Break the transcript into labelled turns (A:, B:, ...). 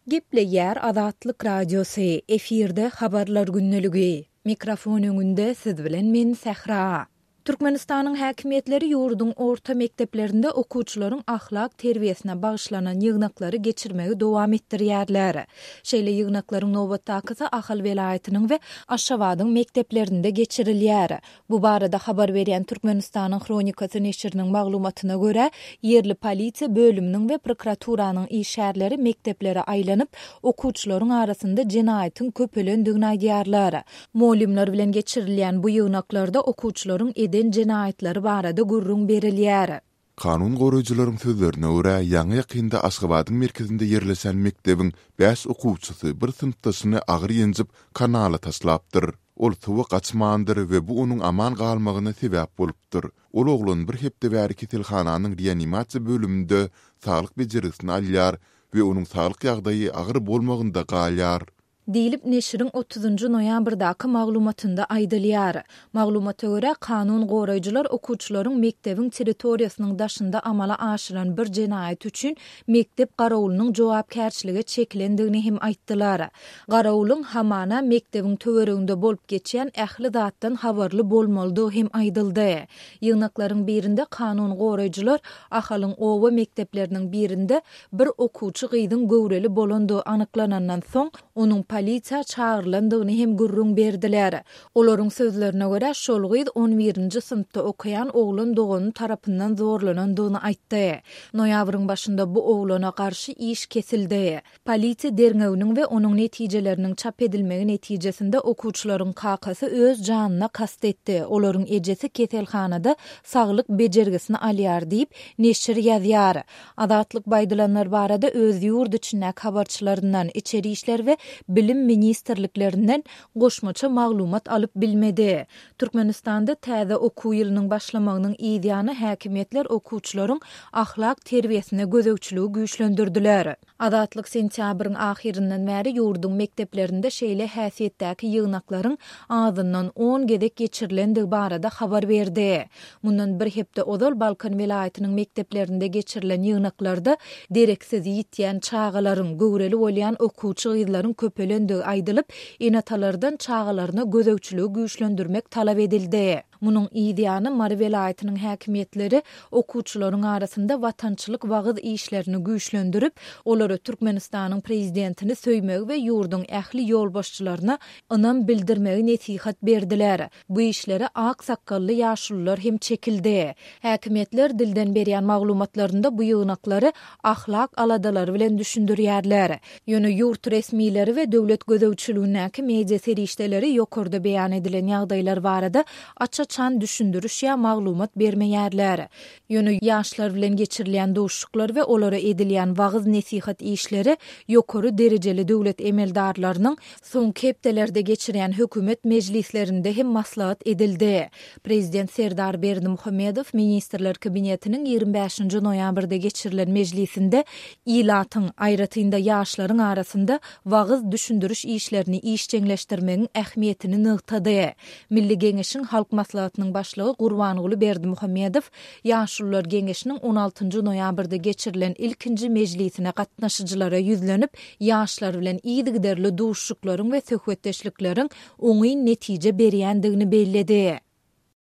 A: Gepleýär Azatlyk Radiosy, efirde Habarlar gündeligi. Mikrofon öňünde siz bilen men Sähra. Türkmenistanyň häkimiýetleri ýurduň orta mekdeplerinde okuwçylaryň ahlak terbiýesine bagyşlanan ýygnaklary geçirmegi dowam etdirýärler. Şeýle ýygnaklaryň nobatdakysy Ahal welaýatynyň we Aşgabadyň mekdeplerinde geçirilýär. Bu barada habar berýän Türkmenistanyň Hronikasy neşiriniň maglumatyna görä, ýerli polisiýa bölüminiň we prokuraturanyň işgärleri mekdeplere aýlanyp, okuwçylaryň arasynda jenaýatyň köpelendigini aýdýarlar. Mugallymlar bilen geçirilýän bu ýygnaklarda okuwçylaryň eden jenaýatlary barada gürrüň berilýär.
B: Kanun goraýjylaryň sözlerine görä, ýaňy-ýakynda Aşgabadyň merkezinde ýerleşen mekdebiň bäş okuwçysy bir synpdaşyny agyr ýenjip, kanala taşlapdyr. Ol suwa gaçmandyr we bu onuň aman galmagyna sebäp bolupdyr. Ol oglan bir hepde bäri keselhananyň reanimasiýa bölüminde saglyk bejergisini alýar we onuň saglyk ýagdaýy agyr bolmagynda galýar.
A: Diýlip, neşiriň otuzynjy noýabrdaky maglumatynda aýdylýar. Maglumata görä, kanun goraýjylar okuwçylaryň mekdebiň territoriýasynyň daşynda amala aşyran bir jenaýaty üçin mekdep garawulynyň jogapkärçilige çekilendigini hem aýtdylar. Garawulyň, hamana, mekdebiň töwereginde bolup geçýän ähli zatdan habarly bolmalydygy hem aýdyldy. Ýygnaklaryň birinde kanun goraýjylar Ahalyň oba mekdepleriniň birinde Bir okuwçy gyzyň göwreli bolandygy anyklanandan soň, onuň polisiýa çagyrylandygyny hem gürrüň berdiler. Olaryň sözlerine görä, şol gyz on birinji synpda okaýan oglan dogany tarapyndan zorlanandygyny aýtdy. Noýabryň başynda bu oglana garşy iş kesildi. Polisiýa derňewiniň we onuň netijeleriniň çap edilmegi netijesinde okuwçylaryň kakasy öz janyna kast etdi, olaryň ejesi keselhanada saglyk bejergisini alýar diýip, neşir ýazýar. Azatlyk bu aýdylanlar barada öz ýurt içindäki habarçylaryndan, Içeri işler we Bilim ministrliklerinden goşmaça maglumat alyp bilmedi. Türkmenistanda täze okuw ýylynyň başlamagynyň yzýany häkimiýetler okuwçylaryň ahlak terbiýesine gözegçiligi güýçlendirdiler. Azatlyk sentýabryň ahyryndan bäri ýurduň mekdeplerinde şeýle häsiýetdäki ýygnaklaryň azyndan on gezek geçirilendigi barada habar berdi. Mundan bir hepde ozal Balkan welaýatynyň mekdeplerinde geçirilen ýygnaklarda dereksiz ýitýän çagalaryň, göwreli bolýan okuwçy gyzlaryň köpelendigi aýdylyp, ene-atalardan çagalaryna gözegçiligi güýçlendirmek talap edildi. Munuň yz ýany, Mary welaýatynyň häkimiýetleri okuwçylaryň arasynda watançylyk wagyz işlerini güýçlendirip, olara Türkmenistanyň prezidentini söýmegi we ýurduň ähli ýolbaşçylaryna ynam bildirmegi nesihat berdiler. Bu işlere ak sakgally ýaşulular hem çekildi. Häkimiýetler dilden berýän maglumatlarynda bu ýygnaklary ahlak aladalary bilen düşündirýärler. Ýöne ýurt resmileri we döwlet gözegçiligindäki media serişdeleri ýokarda beýan edilen ýagdaýlar barada aç-açan düşündiriş ýa maglumat bermeýärler. Ýöne ýaşlar bilen geçirilýän duşuşyklar we olara edilýän wagyz-nesihat işleri ýokary derejeli döwlet emeldarlarynyň Soňky hepdelerde geçirýän hökümet mejlislerinde hem maslahat edildi. Prezident Serdar Berdimuhamedow Ministrler Kabinetiniň 25-nji noýabrda geçirilen mejlisinde ilatyň, aýratyn-da ýaşlaryň arasynda wagyz-düşündiriş işlerini işjeňleşdirmegiň ähmiýetini nygtady. Milli Geňeşiň Halk Maslahatynyň Başlygy Gurbanguly Berdimuhamedow Ýaşulular geňeşiniň on altynjy noýabrda geçirilen ilkinji mejlisine gatnaşyjylara ýüzlenip, ýaşlar bilen yzygiderli duşuşyklaryň we söhbetdeşlikleriň oňyn netije berýändigini belledi.